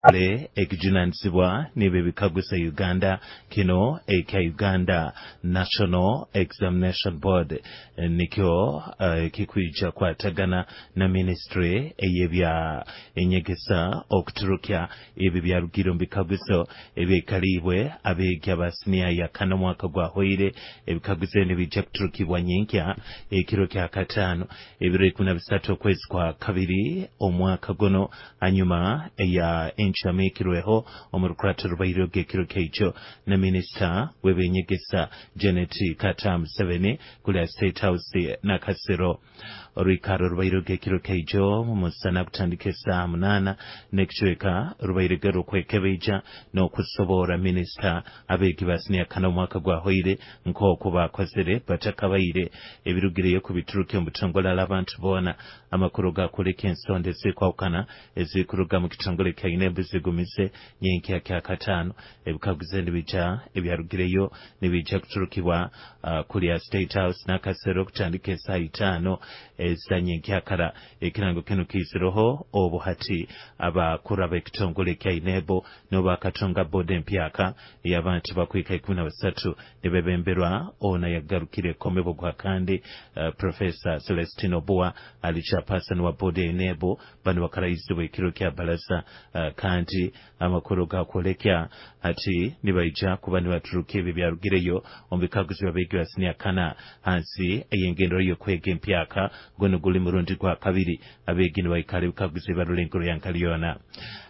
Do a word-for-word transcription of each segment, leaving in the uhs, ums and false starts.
Ekijunanizibwa nibyo bikaguza Uganda kino ekya Uganda National Examination Board nikyo uh, kikwija kwatagana na ministry ey'ebya enyegesa okuturukya ebi byarugire omu bikaguzo ebyaikaliibwe abeegi aba siniya ya kana omwaka gwahwaire. Ebikaguzo nibijja kuturukibwa nyenkya ekiro kya kataano, ebiro ikumi na bisatu okwezi kwa kabiri omwaka guno, hanyuma eya encamikirweho omu rukurato rubaireho ekiro kyaijo na minisita w'ebyenyegesa Janet Kataaha Museveni kulya State House Nakasero. Orwikaro rubaireho ekiro kyaijo musana kutandika esaaha munaana n'ekicweka, rubairege rukwekebeija n'okusoboora minisita abeegi ba siniya kana omwaka gwahwaire nk'oku bakozere batakabaire ebirugireyo kubituruka omu butongole abantu boona. Amakuru gakuleka ensonda ezikwawukana ezikuruga mu kitongole kya UNEB zigumize nyenkya kya kataano ebikaguzo nibija ebyarugireyo nibija kuturukibwa uh, kulya State House Nakasero kutandika esaaha itaano eza nyenkyakara. Ekirango kinu kiizireho obu hati abakuru ab'ekitongole kya UNEB nibo bakatonga boodi empyaka ey'abantu bakwika ikumi na basatu nibebemberwa ona yagarukire komebo gwa kandi uh, Professor Celestine Obua ali chairperson wa boodi ya UNEB. Bano bakarayizibwa ekiro kya balaza uh, kandi amakuru gakwolekya ati nibaija kuba nibaturuka ebyo byarugireyo omu bikaguzo by'abeegi ba siniya kana hansi ey'engendero y'okwega empyaka. Guno guli murundi gwa kabiri abeegi nibaikara ebikaguzo ebarula enkuru ya nkaliyona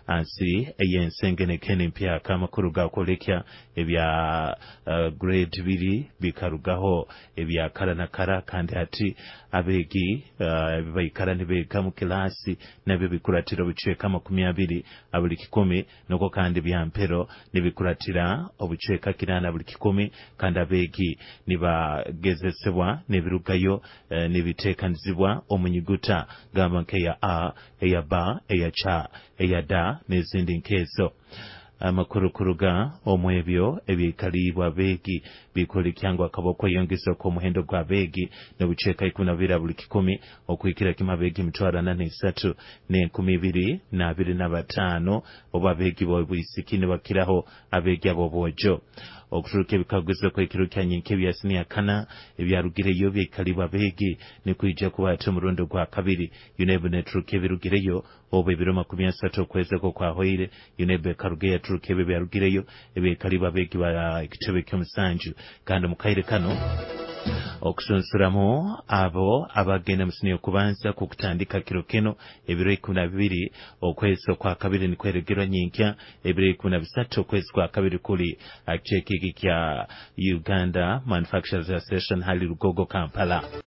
hansi ey'ensengenekene empyaka. Amakuru gakwolekya ebya uh, grade biri bikarugaho ebya kara na kara, kandi hati abeegi uh, baikara nibeega mu kilasi nabyo bikuratira obucweka makumi abiri buli kikumi, nuko kandi bya mpero nibikuratira obucweka kinaana buli kikumi, kandi abeegi nibagezesebwa n'ebirugayo eh, nibiteekanizibwa omu nyuguta gamba nk'eya A, eya B, eya C, eya D n'ezindi nk'ezo. Amakuru kuruga omu ebyo ebyaikaliibwe abeegi bikwolekya ngu akaba okweyongeza okw'omuhendo gw'abeegi n'obucweka ikumi na bubiri buli kikumi okuhikira kimu abeegi emitwaro ana n'esatu n'enkumi ibiri n'abiri na bataano, obu abeegi b'obwisiki nibakiraho abeegi ab'obwojo. Okuturuka ebikaguzo kw'ekiro kya nyenkya ebya siniya kana ebyarugireyo byaikalibwa abeegi nikwija kuba ati omurundi gwa kabiri UNEB neturuka ebirugireyo, obu ebiro makumi asatu okwezi okwo kwahwaire UNEB ekaruga yaturuka ebyo byarugireyo ebyaikalibwa abeegi ba ekitebe ky'omusanju. Kandi mu kaire kano okusunsuramu abo abagenda mu siniya okubanza kukutandika kiro kino ebiro ikumi na bibiri okwezi okwa kabiri nikweregerwa nyenkya ebiro ikumi na bisatu okwezi kwa kabiri kuli kicweka iki kya Uganda Manufacturers Association hali Lugogo, Kampala.